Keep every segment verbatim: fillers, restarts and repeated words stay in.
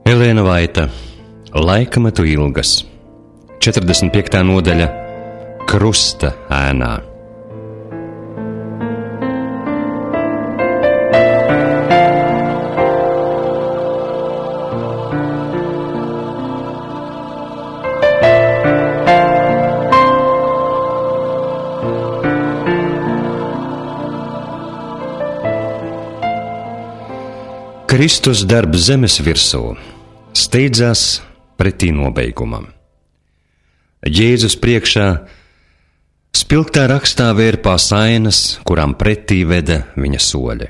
Elēna Vaita, Laikmetu ilgas, četrdesmit piektā nodaļa, Krusta ēnā. Kristus darbs zemes virsū steidzās pretī nobeigumam. Jēzus priekšā spilgtā rakstā vērpās ainas, kurām pretī veda viņa soļi.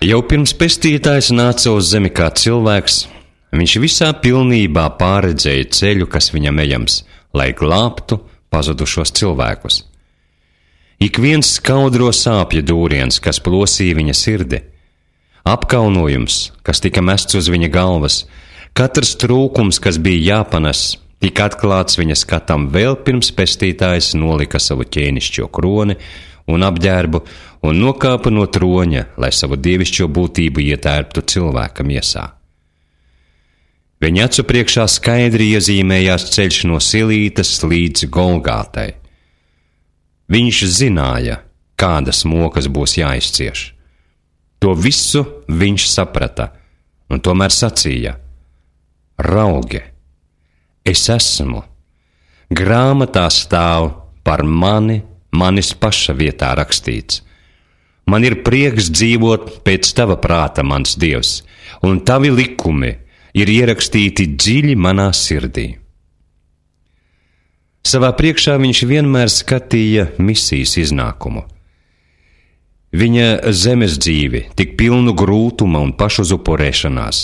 Jau pirms pestītājs nāca uz zemi kā cilvēks, viņš visā pilnībā pārredzēja ceļu, kas viņam ejams, lai glābtu pazudušos cilvēkus. Ik viens skaudro sāpju dūriens, kas plosīja viņa sirdi, apkaunojums, kas tika mests uz viņa galvas, katrs trūkums, kas bija jāpanes, tika atklāts viņa skatam vēl pirms pestītājs nolika savu ķēnišķo kroni un apģērbu un nokāpa no troņa, lai savu dievišķo būtību ietērptu cilvēka miesā. Viņa acu priekšā skaidri iezīmējās ceļš no Silītas līdz Golgātai. Viņš zināja, kādas mokas būs jāizcieš. To visu viņš saprata, un tomēr sacīja: Raugi, es esmu, grāmatā stāv par mani, manis paša vietā rakstīts. Man ir prieks dzīvot pēc tava prāta, mans Dievs, un tavi likumi ir ierakstīti dziļi manā sirdī. Savā priekšā viņš vienmēr skatīja misijas iznākumu. Viņa zemes dzīvi, tik pilnu grūtuma un pašuzupurēšanās,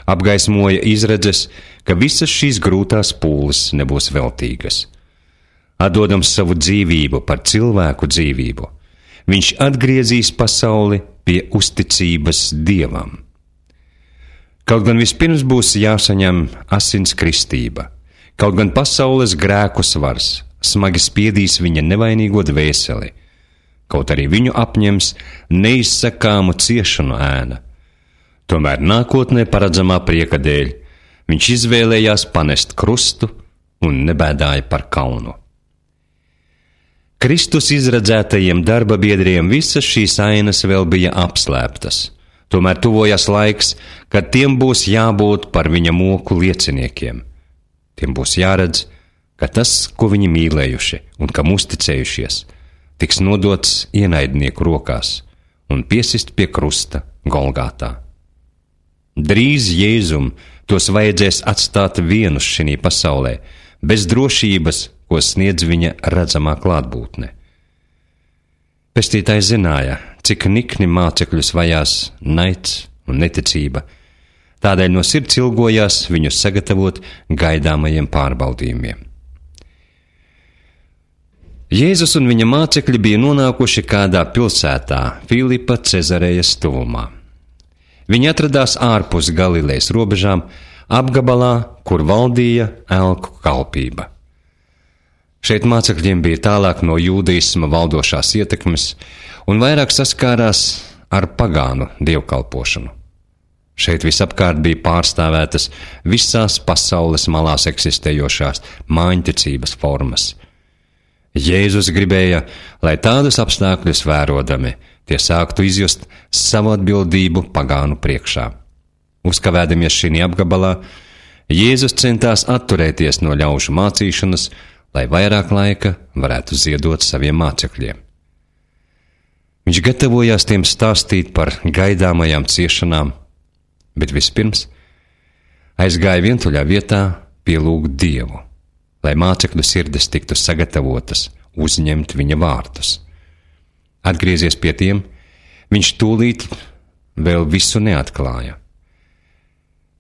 apgaismoja izredzes, ka visas šīs grūtās pūles nebūs veltīgas. Atdodams savu dzīvību par cilvēku dzīvību, viņš atgriezīs pasauli pie uzticības Dievam. Kaut gan vispirms būs jāsaņem asins kristība, kaut gan pasaules grēku svars smagi spiedīs viņa nevainīgo dvēseli, kaut arī viņu apņems neizsakāmu ciešanu ēna. Tomēr nākotnē paredzamā prieka dēļ viņš izvēlējās panest krustu un nebēdāja par kaunu. Kristus izredzētajiem darba biedriem visas šīs ainas vēl bija apslēptas, tomēr tuvojas laiks, kad tiem būs jābūt par viņa moku lieciniekiem. Tiem būs jāredz, ka tas, ko viņi mīlējuši un kam uzticējušies, tiks nodots ienaidnieku rokās un piesist pie krusta Golgātā. Drīz Jēzum tos vajadzēs atstāt vienus šinī pasaulē, bez drošības, ko sniedz viņa redzamā klātbūtne. Pestītājs zināja, cik nikni mācekļus vajās naids un neticība, tādēļ no sirds ilgojās viņus sagatavot gaidāmajiem pārbaudījumiem. Jēzus un viņa mācekļi bija nonākuši kādā pilsētā, Filipa Cezarejas tuvumā. Viņi atradās ārpus Galilejas robežām, apgabalā, kur valdīja elku kalpība. Šeit mācekļiem bija tālāk no jūdaisma valdošās ietekmes un vairāk saskārās ar pagānu dievkalpošanu. Šeit visapkārt bija pārstāvētas visās pasaules malās eksistējošās māņticības formas. Jēzus gribēja, lai tādus apstākļus vērodami, tie sāktu izjust savu atbildību pagānu priekšā. Uzkavēdamies šī apgabalā, Jēzus centās atturēties no ļaužu mācīšanas, lai vairāk laika varētu ziedot saviem mācekļiem. Viņš gatavojās tiem stāstīt par gaidāmajām ciešanām, bet vispirms aizgāja vientuļā vietā pielūgt Dievu, lai mācekļu sirdis tiktu sagatavotas uzņemt viņa vārdus. Atgriezies pie tiem, viņš tūlīt vēl visu neatklāja.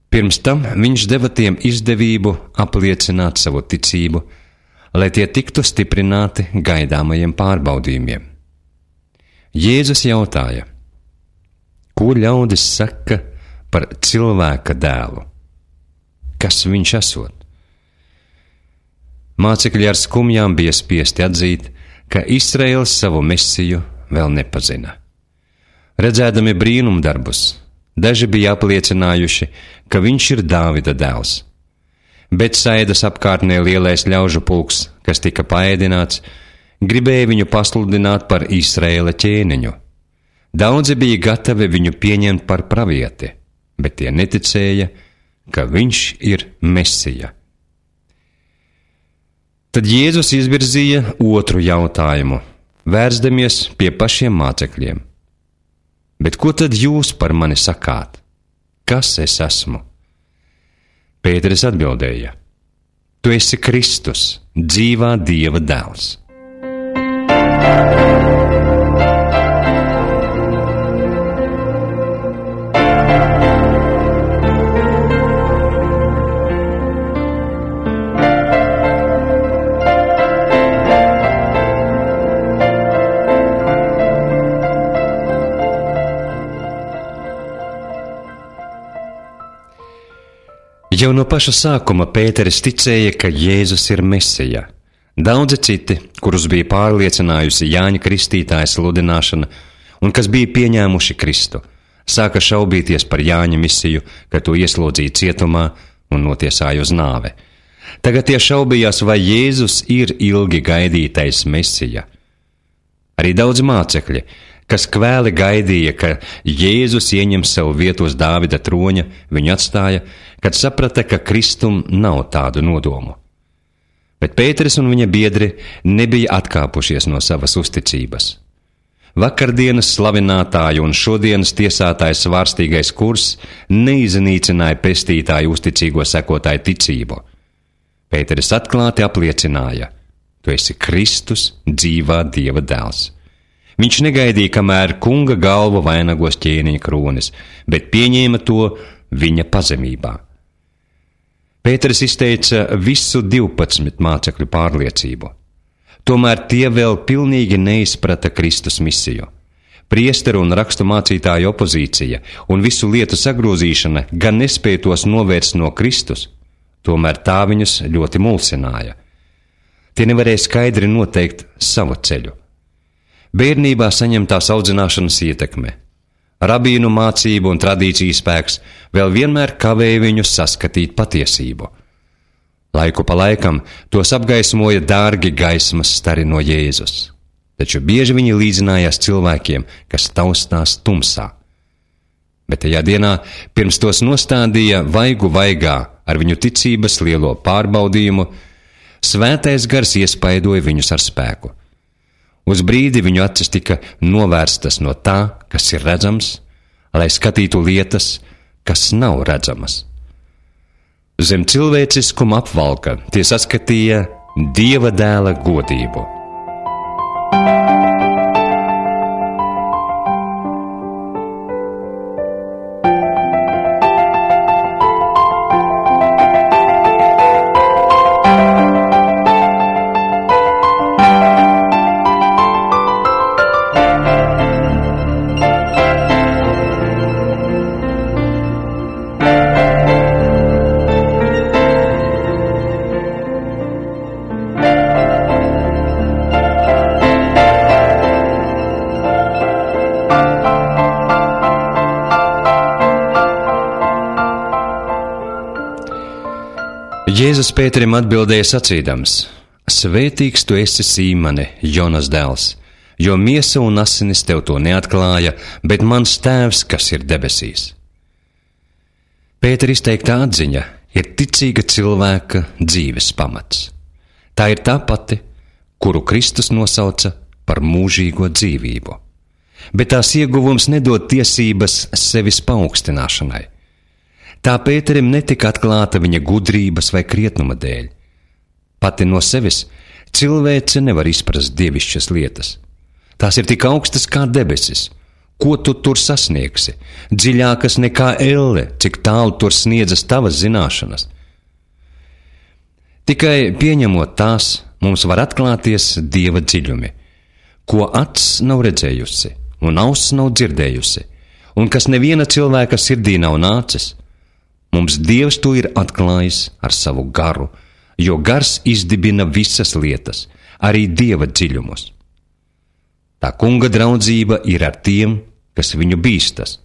Pirms tam viņš deva tiem izdevību apliecināt savu ticību, lai tie tiktu stiprināti gaidāmajiem pārbaudījumiem. Jēzus jautāja: ko ļaudis saka par cilvēka dēlu? Kas viņš esot? Mācekļi ar skumjām bija spiesti atzīt, ka Izraels savu mesiju vēl nepazina. Redzēdami brīnumdarbus, Daži bija apliecinājuši, ka viņš ir Dāvida dēls. Betsaidas apkārtnē lielais ļaužu pulks, kas tika paēdināts, gribēja viņu pasludināt par Izraēla ķēniņu. Daudzi bija gatavi viņu pieņemt par pravieti, bet tie neticēja, ka viņš ir Mesija. Tad Jēzus izvirzīja otru jautājumu, vērsdamies pie pašiem mācekļiem. Bet ko tad jūs par mani sakāt? Kas es esmu? Pēteris atbildēja: Tu esi Kristus, dzīvā Dieva dēls. Jau no paša sākuma Pēteris ticēja, ka Jēzus ir Mesija. Daudzi citi, kurus bija pārliecinājusi Jāņa Kristītāja sludināšana un kas bija pieņēmuši Kristu, sāka šaubīties par Jāņa misiju, ka to ieslodzīja cietumā un notiesāja uz nāve. Tagad tie šaubījās, vai Jēzus ir ilgi gaidītais Mesija. Arī daudz mācekļi, kas kvēli gaidīja, ka Jēzus ieņem savu vietu uz Dāvida troņa, viņu atstāja, kad saprata, ka Kristum nav tādu nodomu. Bet Pēteris un viņa biedri nebija atkāpušies no savas uzticības. Vakardienas slavinātāju un šodienas tiesātājs svārstīgais kurs neiznīcināja pestītāju uzticīgo sekotāju ticību. Pēteris atklāti apliecināja: Tu esi Kristus, dzīvā Dieva dēls. Viņš negaidīja, kamēr kunga galvu vainagos ķēniņa kronis, bet pieņēma to viņa pazemībā. Pēteris izteica visu divpadsmit mācekļu pārliecību. Tomēr tie vēl pilnīgi neizprata Kristus misiju. Priesteru un rakstu mācītāju opozīcija un visu lietu sagrozīšana gan nespēja tos novērst no Kristus, tomēr tā viņus ļoti mulsināja. Tie nevarēja skaidri noteikt savu ceļu. Bērnībā saņemtās audzināšanas ietekme, rabīnu mācību un tradīciju spēks vēl vienmēr kavēja viņus saskatīt patiesību. Laiku pa laikam tos apgaismoja dārgi gaismas stari no Jēzus, taču bieži viņi līdzinājās cilvēkiem, kas taustās tumsā. Bet tajā dienā, pirms tos nostādīja vaigu vaigā ar viņu ticības lielo pārbaudījumu, svētais gars iespaidoja viņus ar spēku. Uz brīdi viņu acis tika novērstas no tā, kas ir redzams, lai skatītu lietas, kas nav redzamas. Zem cilvēciskuma apvalka tie saskatīja Dieva dēla godību. Jēzus Pēterim atbildēja sacīdams: Svētīgs tu esi, Sīmane, Jonas dēls, jo miesa un asinis tev to neatklāja, bet mans tēvs, kas ir debesīs. Pētera izteikta atziņa ir ticīga cilvēka dzīves pamats. Tā ir tā pati, kuru Kristus nosauca par mūžīgo dzīvību. Bet tās ieguvums nedod tiesības sevis paaugstināšanai. Tā Pēterim netika atklāta viņa gudrības vai krietnuma dēļ. Pati no sevis cilvēce nevar izprast dievišķas lietas. Tās ir tik augstas kā debesis. Ko tu tur sasniegsi? Dziļākas nekā elle, cik tālu tur sniedzas tavas zināšanas. Tikai pieņemot tās, mums var atklāties Dieva dziļumi, ko acs nav redzējusi un auss nav dzirdējusi, un kas neviena cilvēka sirdī nav nācis. Mums Dievs to ir atklājis ar savu garu, jo gars izdibina visas lietas, arī Dieva dziļumus. Tā kunga draudzība ir ar tiem, kas viņu bīstas.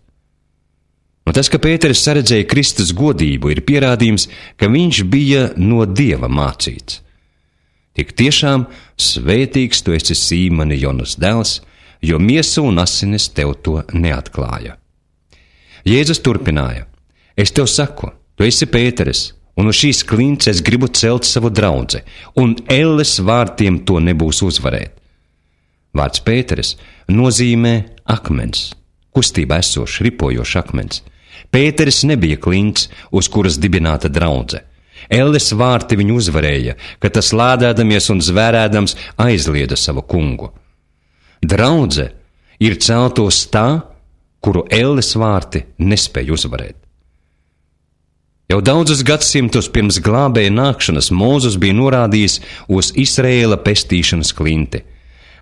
Un tas, ka Pēteris saredzēja Kristus godību, ir pierādījums, ka viņš bija no Dieva mācīts. Tik tiešām svētīgs tu esi, Sīmoni, Jonas dēls, jo miesa un asinis tev to neatklāja. Jēzus turpināja: Es tev saku, tu esi Pēteris, un uz šīs klints es gribu celt savu draudzi, un elles vārtiem to nebūs uzvarēt. Vārds Pēteris nozīmē akmens, kustībā esošs, ripojošs akmens. Pēteris nebija klints, uz kuras dibināta draudze. Elles vārti viņu uzvarēja, kad tas lādēdamies un zvērēdams aizlieda savu kungu. Draudze ir celtos tā, kuru elles vārti nespēja uzvarēt. Jau daudzus gadsimtus pirms glābēja nākšanas Mūzes bija norādījis uz Izraēla pestīšanas klinti.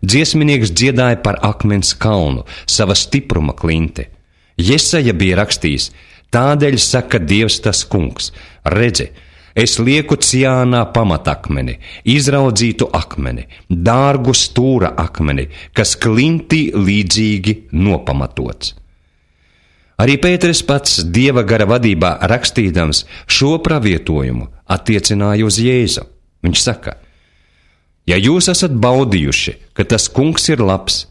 Dziesminieks dziedāja par akmens kalnu, sava stipruma klinti. Jesaja bija rakstījis: Tādēļ saka Dievs tas kungs, redzi, es lieku Ciānā pamatakmeni, izraudzītu akmeni, dārgu stūra akmeni, kas klintī līdzīgi nopamatots. Arī Pēteris pats Dieva gara vadībā rakstīdams šo pravietojumu attiecināja uz Jēzu. Viņš saka: Ja jūs esat baudījuši, ka tas kungs ir labs,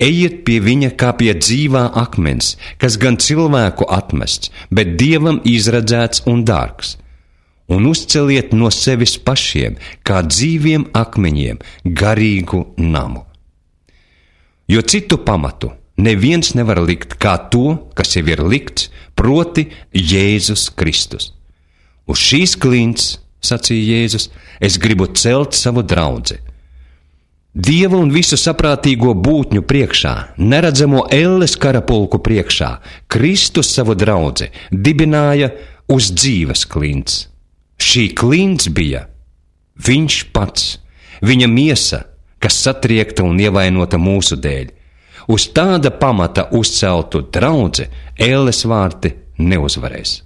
ejiet pie viņa kā pie dzīvā akmens, kas gan cilvēku atmests, bet Dievam izredzēts un dārgs, un uzceliet no sevis pašiem, kā dzīviem akmeņiem, garīgu namu. Jo citu pamatu neviens nevar likt kā to, kas jau ir likts, proti Jēzus Kristus. Uz šīs klints, sacīja Jēzus, es gribu celt savu draudzi. Dieva un visu saprātīgo būtņu priekšā, neredzamo elles karapulku priekšā, Kristus savu draudzi dibināja uz dzīves klints. Šī klints bija viņš pats, viņa miesa, kas satriekta un ievainota mūsu dēļ. Uz tāda pamata uzceltu draudzi elles vārti neuzvarēs.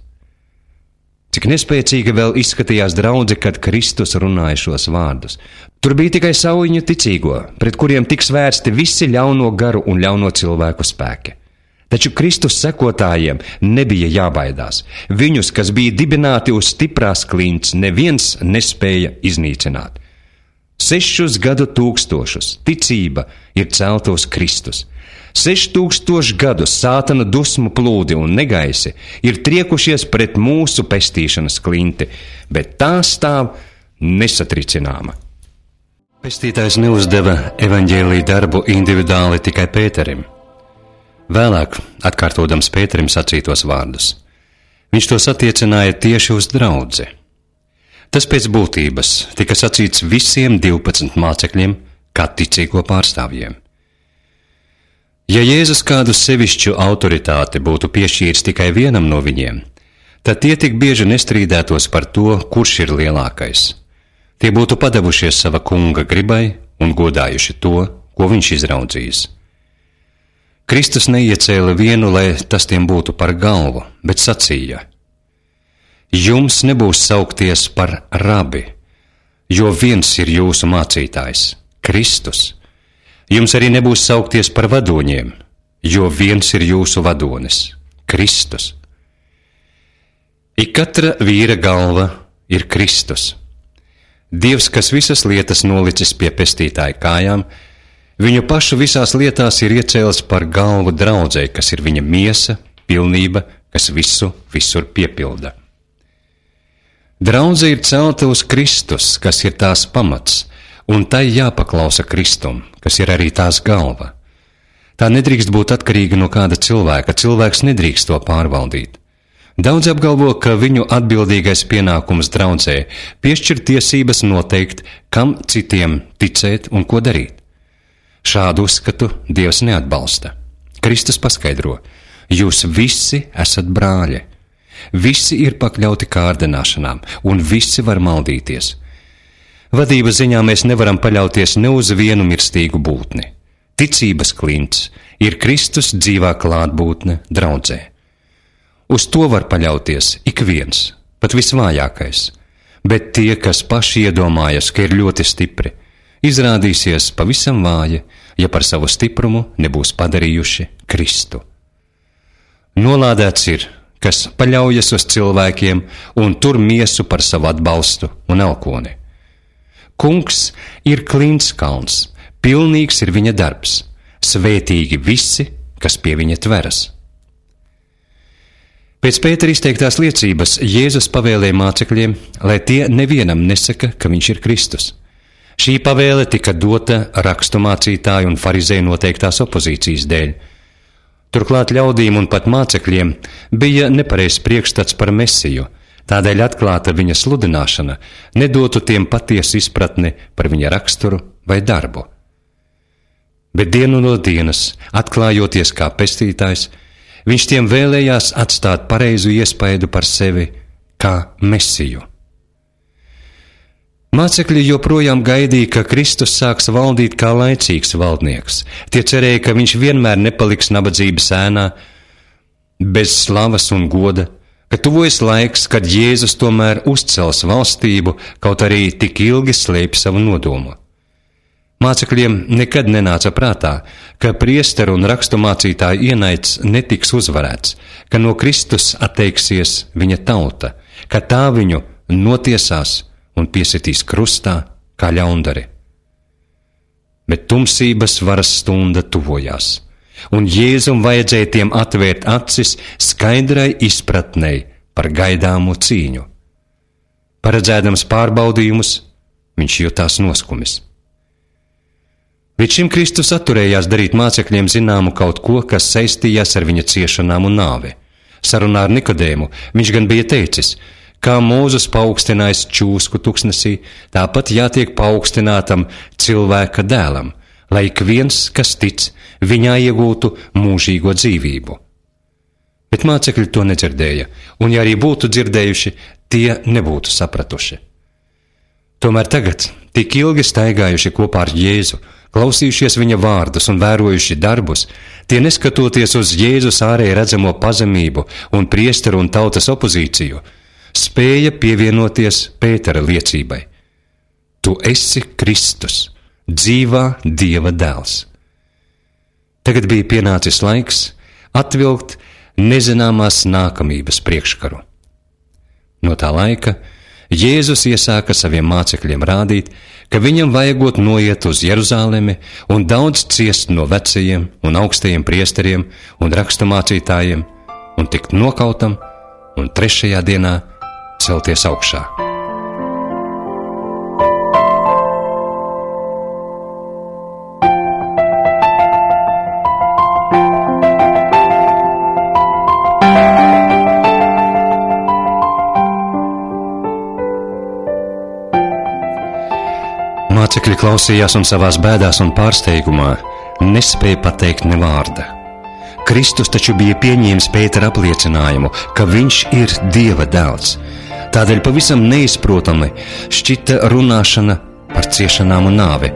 Cik nespēcīga vēl izskatījās draudze, kad Kristus runāja šos vārdus. Tur bija tikai saujiņu ticīgo, pret kuriem tiks vērsti visi ļauno garu un ļauno cilvēku spēki. Taču Kristus sekotājiem nebija jābaidās. Viņus, kas bija dibināti uz stiprās klints, neviens nespēja iznīcināt. Sešus gadu tūkstošus ticība ir celta uz Kristus. Seši tūkstoši gadus sātana dusmu plūdi un negaisi ir triekušies pret mūsu pestīšanas klinti, bet tā stāv nesatricināma. Pestītājs neuzdeva evaņģēlī darbu individuāli tikai Pēterim. Vēlāk, atkārtodams Pēterim sacītos vārdus, viņš tos attiecināja tieši uz draudzi. Tas pēc būtības tika sacīts visiem divpadsmit mācekļiem, kā ticīgo pārstāvjiem. Ja Jēzus kādu sevišķu autoritāti būtu piešķīris tikai vienam no viņiem, tad tie tik bieži nestrīdētos par to, kurš ir lielākais. Tie būtu padavušies sava kunga gribai un godājuši to, ko viņš izraudzījis. Kristus neiecēla vienu, lai tas tiem būtu par galvu, bet sacīja: Jums nebūs saukties par rabi, jo viens ir jūsu mācītājs, Kristus. Jums arī nebūs saukties par vadoņiem, jo viens ir jūsu vadonis, Kristus. Ik katra vīra galva ir Kristus. Dievs, kas visas lietas nolicis pie pestītāja kājām, viņu pašu visās lietās ir iecēlis par galvu draudzei, kas ir viņa miesa, pilnība, kas visu visur piepilda. Draudze ir celta uz Kristus, kas ir tās pamats, un tai jāpaklausa Kristum, kas ir arī tās galva. Tā nedrīkst būt atkarīga no kāda cilvēka, cilvēks nedrīkst to pārvaldīt. Daudz apgalvo, ka viņu atbildīgais pienākums draudzē piešķir tiesības noteikt, kam citiem ticēt un ko darīt. Šādu uzskatu Dievs neatbalsta. Kristus paskaidro: jūs visi esat brāļi. Visi ir pakļauti kārdināšanām, un visi var maldīties. Vadības ziņā mēs nevaram paļauties ne uz vienu mirstīgu būtni. Ticības klints ir Kristus dzīvā klātbūtne draudzē. Uz to var paļauties ik viens, pat visvājākais, bet tie, kas paši iedomājas, ka ir ļoti stipri, izrādīsies pavisam vāji, ja par savu stiprumu nebūs padarījuši Kristu. Nolādēts ir, kas paļaujas uz cilvēkiem un tur miesu par savu atbalstu un elkoni. Kungs ir klints kalns, pilnīgs ir viņa darbs, svētīgi visi, kas pie viņa tveras. Pēc Pētera izteiktās liecības Jēzus pavēlēja mācekļiem, lai tie nevienam nesaka, ka viņš ir Kristus. Šī pavēle tika dota rakstu mācītāju un farizēju noteiktās opozīcijas dēļ. Turklāt ļaudīm un pat mācekļiem bija nepareizs priekšstats par Mesiju, tādēļ atklāta viņa sludināšana nedotu tiem patiesu izpratni par viņa raksturu vai darbu. Bet dienu no dienas, atklājoties kā pestītājs, viņš tiem vēlējās atstāt pareizu iespaidu par sevi kā Mesiju. Mācekļi joprojām gaidīja, ka Kristus sāks valdīt kā laicīgs valdnieks. Tie cerēja, ka viņš vienmēr nepaliks nabadzības ēnā, bez slavas un goda, ka tuvojas laiks, kad Jēzus tomēr uzcels valstību, kaut arī tik ilgi slēpj savu nodomu. Mācekļiem nekad nenāca prātā, ka priesteru un raksturmācītāju ienaids netiks uzvarēts, ka no Kristus atteiksies viņa tauta, ka tā viņu notiesās un piesitīs krustā kā ļaundari. Bet tumsības varas stunda tuvojās, un Jēzum vajadzēja tiem atvērt acis skaidrai izpratnei par gaidāmo cīņu. Paredzēdams pārbaudījumus, viņš jutās noskumis. Līdz šim Kristus atturējās darīt mācekļiem zināmu kaut ko, kas saistījās ar viņa ciešanām un nāvi. Sarunā ar Nikodēmu viņš gan bija teicis, kā Mūzes paaugstinājis čūsku tuksnesī, tāpat jātiek paaugstinātam cilvēka dēlam, lai ik viens, kas tic, viņā iegūtu mūžīgo dzīvību. Bet mācekļi to nedzirdēja, un ja arī būtu dzirdējuši, tie nebūtu sapratuši. Tomēr tagad, tik ilgi staigājuši kopā ar Jēzu, klausījušies viņa vārdus un vērojuši darbus, tie neskatoties uz Jēzus ārēji redzamo pazemību un priesteru un tautas opozīciju, spēja pievienoties Pētera liecībai. Tu esi Kristus, dzīvā Dieva dēls. Tagad bija pienācis laiks atvilkt nezināmās nākamības priekškaru. No tā laika Jēzus iesāka saviem mācekļiem rādīt, ka viņam vajagot noiet uz Jeruzalemi un daudz ciest no vecajiem un augstajiem priesteriem un raksturmācītājiem un tikt nokautam un trešajā dienā celties augšā. Mācekļi klausījās un savās bēdās un pārsteigumā nespēja pateikt ne vārda. Kristus taču bija pieņēmis Pētera apliecinājumu, ka viņš ir Dieva dēls. Tādēļ pavisam neizprotami šķita runāšana par ciešanām un nāvi.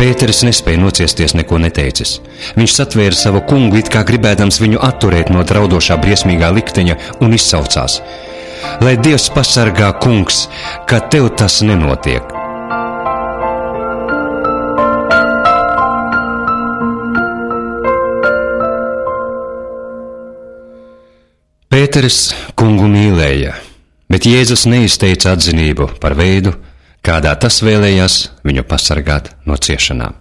Pēteris nespēja nociesties, neko neteicis. Viņš satvēra savu kungu, it kā gribēdams viņu atturēt no draudošā briesmīgā likteņa, un izsaucās: Lai Dievs pasargā, kungs, ka tev tas nenotiek! Pēteris kungu mīlēja, bet Jēzus neizteica atzinību par veidu, kādā tas vēlējās viņu pasargāt no ciešanām.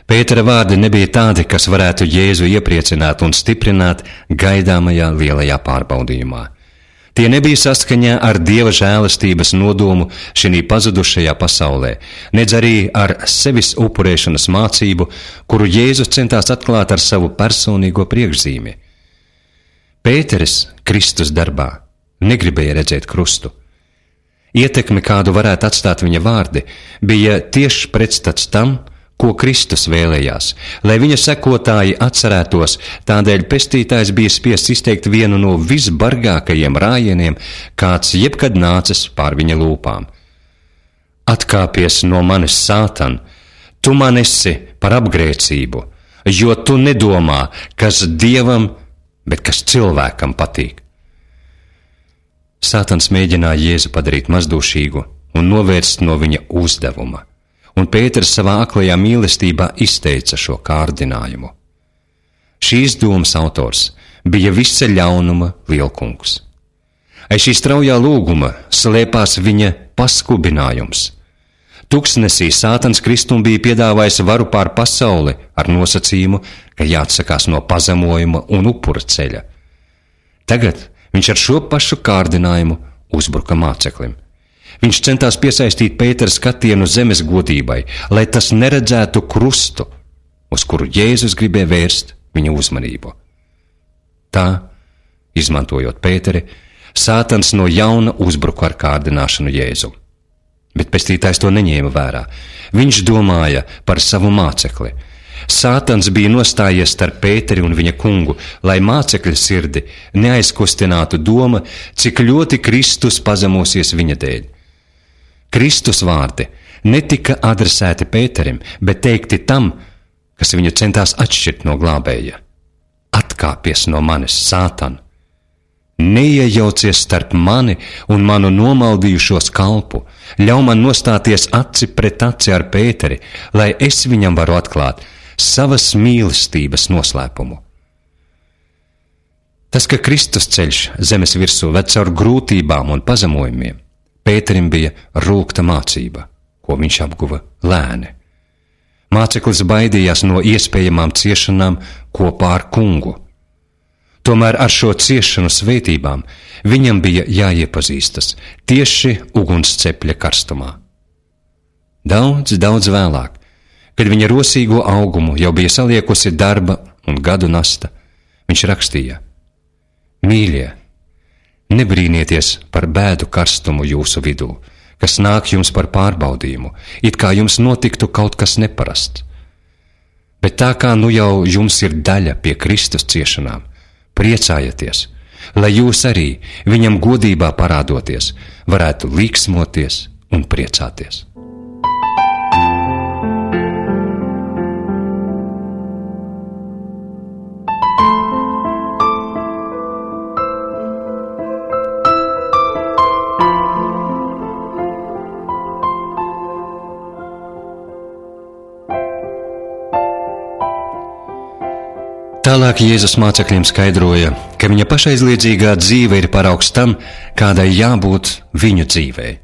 Pētera vārdi nebija tādi, kas varētu Jēzu iepriecināt un stiprināt gaidāmajā lielajā pārbaudījumā. Tie nebija saskaņā ar Dieva žēlastības nodomu šī pazudušajā pasaulē, nedz arī ar sevis upurēšanas mācību, kuru Jēzus centās atklāt ar savu personīgo priekšzīmi. Pēteris Kristus darbā negribēja redzēt krustu. Ietekme, kādu varētu atstāt viņa vārdi, bija tieši pretstats tam, ko Kristus vēlējās, lai viņa sekotāji atcerētos, tādēļ pestītājs bija spiests izteikt vienu no visbargākajiem rājieniem, kāds jebkad nācis pār viņa lūpām. Atkāpies no manis, Sātan, tu man esi par apgrēcību, jo tu nedomā, kas Dievam, bet kas cilvēkam patīk. Sātans mēģināja Jēzu padarīt mazdūšīgu un novērst no viņa uzdevuma, un Pēters savā aklajā mīlestībā izteica šo kārdinājumu. Šīs domas autors bija visa ļaunuma lielkungs. Aiz šī straujā lūguma slēpās viņa paskubinājums. Tuksnesī Sātans Kristum bija piedāvājis varu pār pasauli ar nosacījumu, ka jāatsakās no pazemojuma un upura ceļa. Tagad viņš ar šo pašu kārdinājumu uzbruka māceklim. Viņš centās piesaistīt Pētera skatienu zemes godībai, lai tas neredzētu krustu, uz kuru Jēzus gribēja vērst viņa uzmanību. Tā, izmantojot Pēteri, Sātans no jauna uzbruka ar kārdināšanu Jēzum. Bet pestītājs to neņēma vērā. Viņš domāja par savu mācekli. Sātans bija nostājies starp Pēteri un viņa kungu, lai mācekļa sirdi neaizkustinātu doma, cik ļoti Kristus pazemosies viņa dēļ. Kristus vārdi netika adresēti Pēterim, bet teikti tam, kas viņu centās atšķirt no glābēja. Atkāpies no manis, Sātan! Neiejaucies starp mani un manu nomaldījušos kalpu, ļauj man nostāties aci pret aci ar Pēteri, lai es viņam varu atklāt savas mīlestības noslēpumu. Tas, ka Kristus ceļš zemes virsū ved caur grūtībām un pazemojumiem, Pēterim bija rūgta mācība, ko viņš apguva lēni. Māceklis baidījās no iespējamām ciešanām kopā ar kungu. Tomēr ar šo ciešanu svētībām viņam bija jāiepazīstas tieši ugunscepļa karstumā. Daudz, daudz vēlāk, kad viņa rosīgo augumu jau bija saliekusi darba un gadu nasta, viņš rakstīja: Mīļie, nebrīnieties par bēdu karstumu jūsu vidū, kas nāk jums par pārbaudījumu, it kā jums notiktu kaut kas neparasts. Bet tā kā nu jau jums ir daļa pie Kristus ciešanām, priecājieties, lai jūs arī viņam godībā parādoties, varētu līksmoties un priecāties. Tālāk Jēzus mācekļiem skaidroja, ka viņa pašaizliedzīgā dzīve ir paraugs tam, kādai jābūt viņu dzīvei.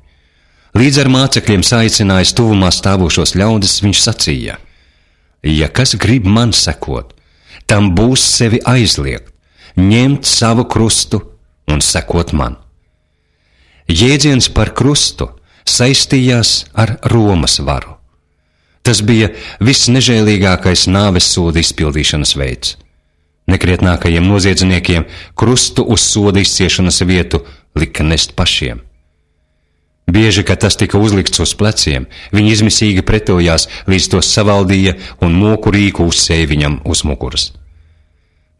Līdz ar mācekļiem saicinājis tuvumā stāvošos ļaudis, viņš sacīja: Ja kas grib man sekot, tam būs sevi aizliegt, ņemt savu krustu un sekot man. Jēdziens par krustu saistījās ar Romas varu. Tas bija visnežēlīgākais nāves soda izpildīšanas veids. Nekrietnākajiem noziedzniekiem krustu uz soda izciešanas vietu lika nest pašiem. Bieži, kad tas tika uzlikts uz pleciem, viņi izmisīgi pretojās, līdz tos savaldīja un moku rīku uzsēja viņam uz muguras.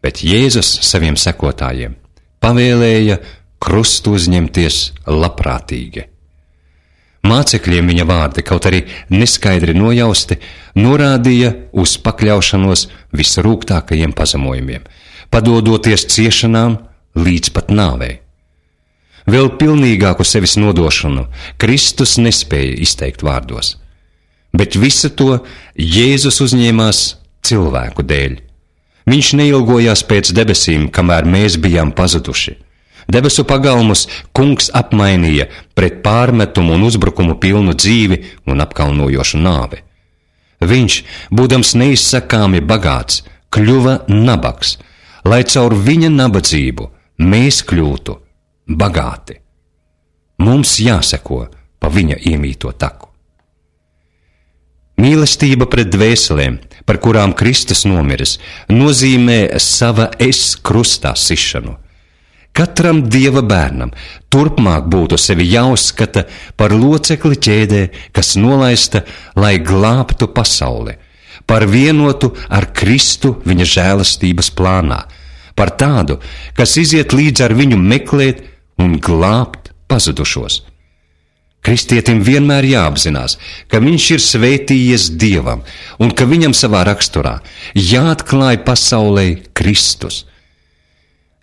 Bet Jēzus saviem sekotājiem pavēlēja krustu uzņemties labprātīgi. Mācekļiem viņa vārdi, kaut arī neskaidri nojausti, norādīja uz pakļaušanos visrūgtākajiem pazemojumiem, padodoties ciešanām līdz pat nāvei. Vēl pilnīgāku sevis nodošanu Kristus nespēja izteikt vārdos, bet visu to Jēzus uzņēmās cilvēku dēļ. Viņš neilgojās pēc debesīm, kamēr mēs bijām pazuduši. Debesu pagalmus kungs apmainīja pret pārmetumu un uzbrukumu pilnu dzīvi un apkaunojošu nāvi. Viņš, būdams neizsakāmi bagāts, kļuva nabaks, lai caur viņa nabadzību mēs kļūtu bagāti. Mums jāseko pa viņa iemīto taku. Mīlestība pret dvēselēm, par kurām Kristus nomiris, nozīmē sava es krustā sišanu. Katram Dieva bērnam turpmāk būtu sevi jāuzskata par locekli ķēdē, kas nolaista, lai glābtu pasauli, par vienotu ar Kristu viņa žēlastības plānā, par tādu, kas iziet līdz ar viņu meklēt un glābt pazudušos. Kristietim vienmēr jāapzinās, ka viņš ir svētījies Dievam un ka viņam savā raksturā jāatklāj pasaulē Kristus.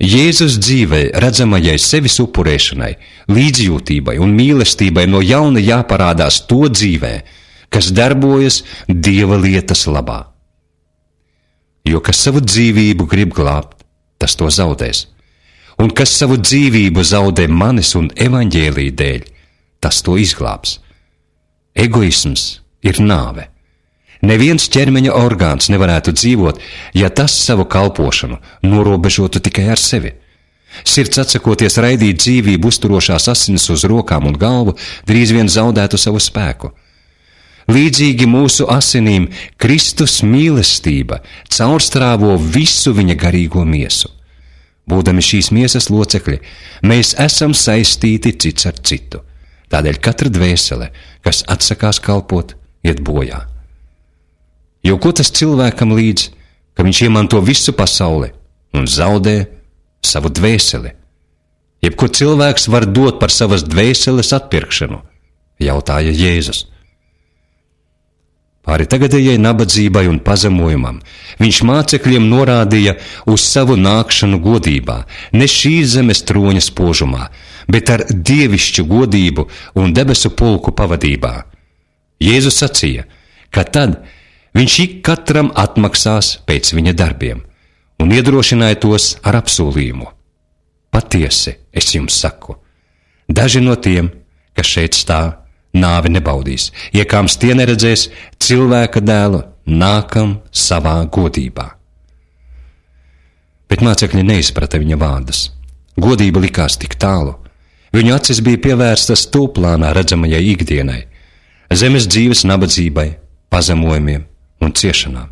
Jēzus dzīvē redzamajai sevis upurēšanai, līdzjūtībai un mīlestībai no jauna jāparādās to dzīvē, kas darbojas Dieva lietas labā. Jo kas savu dzīvību grib glābt, tas to zaudēs. Un kas savu dzīvību zaudē manis un evaņģēlī dēļ, tas to izglābs. Egoisms ir nāve. Neviens ķermeņa orgāns nevarētu dzīvot, ja tas savu kalpošanu norobežotu tikai ar sevi. Sirds atsakoties raidīt dzīvību uzturošās asinis uz rokām un galvu, drīz vien zaudētu savu spēku. Līdzīgi mūsu asinīm Kristus mīlestība caurstrāvo visu viņa garīgo miesu. Būdami šīs miesas locekļi, mēs esam saistīti cits ar citu. Tādēļ katra dvēsele, kas atsakās kalpot, iet bojā. Jo ko tas cilvēkam līdz, ka viņš iemanto visu pasauli un zaudē savu dvēseli? Jebko cilvēks var dot par savas dvēseles atpirkšanu, jautāja Jēzus. Pāri tagadējai nabadzībai un pazemojumam viņš mācekļiem norādīja uz savu nākšanu godībā, ne šīs zemes troņa spožumā, bet ar dievišķu godību un debesu pulku pavadībā. Jēzus sacīja, ka tad viņš ik katram atmaksās pēc viņa darbiem, un iedrošināja tos ar apsolījumu. Patiesi, es jums saku, daži no tiem, kas šeit stāv, nāvi nebaudīs, iekāms tie neredzēs cilvēka dēlu nākam savā godībā. Bet mācekļi neizprata viņa vārdus. Godība likās tik tālu. Viņu acis bija pievērstas tūplānā redzamajai ikdienai, zemes dzīves nabadzībai, pazemojumiem un ciešanām.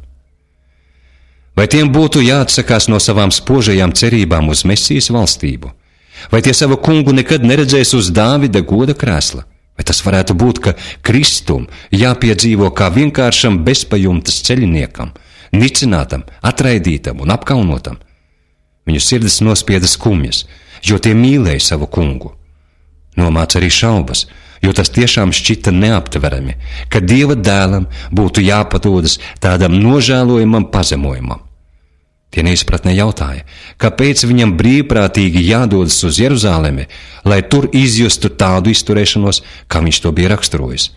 Vai tiem būtu jāatsakās no savām spožajām cerībām uz Mesijas valstību? Vai tie savu kungu nekad neredzēs uz Dāvida goda krēsla? Vai tas varētu būt, ka Kristum jāpiedzīvo kā vienkāršam bezpajumtas ceļiniekam, nicinātam, atraidītam un apkaunotam? Viņu sirdis nospieda skumjas, jo tie mīlēja savu kungu. Nomāca arī šaubas, jo tas tiešām šķita neaptverami, ka Dieva dēlam būtu jāpadodas tādam nožēlojamam pazemojumam. Tie neizpratnē jautāja, kāpēc viņam brīvprātīgi jādodas uz Jeruzalemi, lai tur izjustu tādu izturēšanos, kā viņš to bija raksturojis.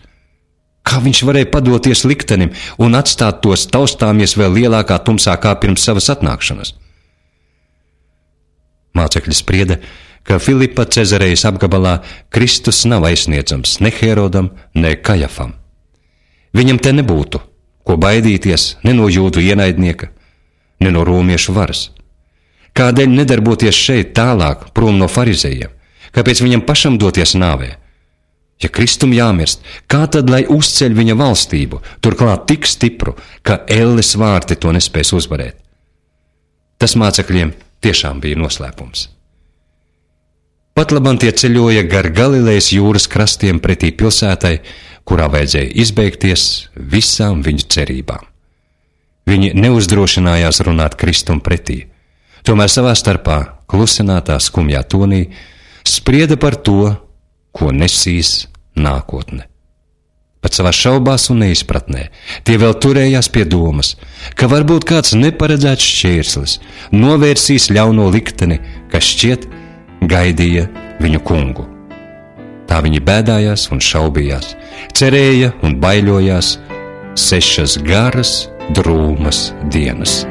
Kā viņš varēja padoties liktenim un atstāt tos taustāmies vēl lielākā tumsā kā pirms savas atnākšanas? Mācekļi sprieda, ka Filipa Cezarejas apgabalā Kristus nav aizsniedzams ne Herodam, ne Kajafam. Viņam te nebūtu, ko baidīties ne no jūdu ienaidnieka, ne no romiešu varas. Kādēļ nedarboties šeit tālāk prom no farizejiem? Kāpēc viņam pašam doties nāvē? Ja Kristum jāmirst, kā tad lai uzceļ viņa valstību, turklāt tik stipru, ka elles vārti to nespēs uzvarēt? Tas mācekļiem tiešām bija noslēpums. Patlaban tie ceļoja gar Galilejas jūras krastiem pretī pilsētai, kurā vajadzēja izbeigties visām viņu cerībām. Viņi neuzdrošinājās runāt Kristum pretī, tomēr savā starpā, klusinātā skumjā tonī, sprieda par to, ko nesīs nākotne. Pat savās šaubās un neizpratnē tie vēl turējās pie domas, ka varbūt kāds neparedzēts šķērslis novērsīs ļauno likteni, kas šķiet gaidīja viņu kungu. Tā viņi bēdājās un šaubījās, cerēja un baiļojās sešas garas, drūmas dienas.